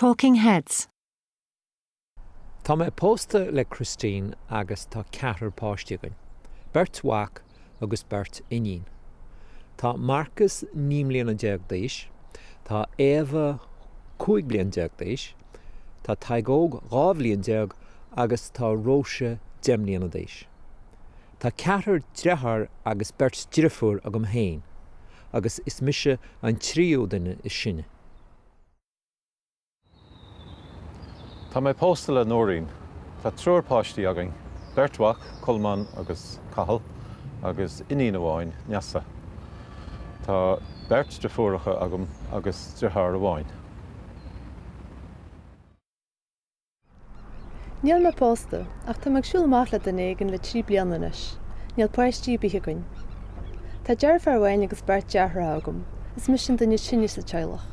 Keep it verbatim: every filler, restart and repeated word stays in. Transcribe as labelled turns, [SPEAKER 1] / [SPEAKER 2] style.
[SPEAKER 1] Talking Heads.
[SPEAKER 2] Tá mé pósta le Christine agus tá ceathrar páistí againn. Beirt mhac agus beirt iníon. Tá Marcus naoi mbliana déag d'aois, Tá Éabha cúig bliana déag d'aois, Tá Tadhg Óg dhá bhliain déag agus tá Róise deich mbliana d'aois. Tá ceathrar deartháir agus beirt deirfiúr agam féin, agus is mise an tríú duine is sine.
[SPEAKER 3] Tá mé pósta le Nóirín. Tá triúr páistí againn, beirt mhac, Colmán agus Cathal, agus iníon amháin, Neasa. Tá beirt deirfiúracha agam agus deartháir amháin.
[SPEAKER 4] Níl mé pósta, ach tá mé ag siúl amach le duine éigin le trí bliana anois. Níl páistí ar bith againn. Tá deirfiúr amháin agus beirt deartháireacha agam. Is mise an duine is sine sa teaghlach.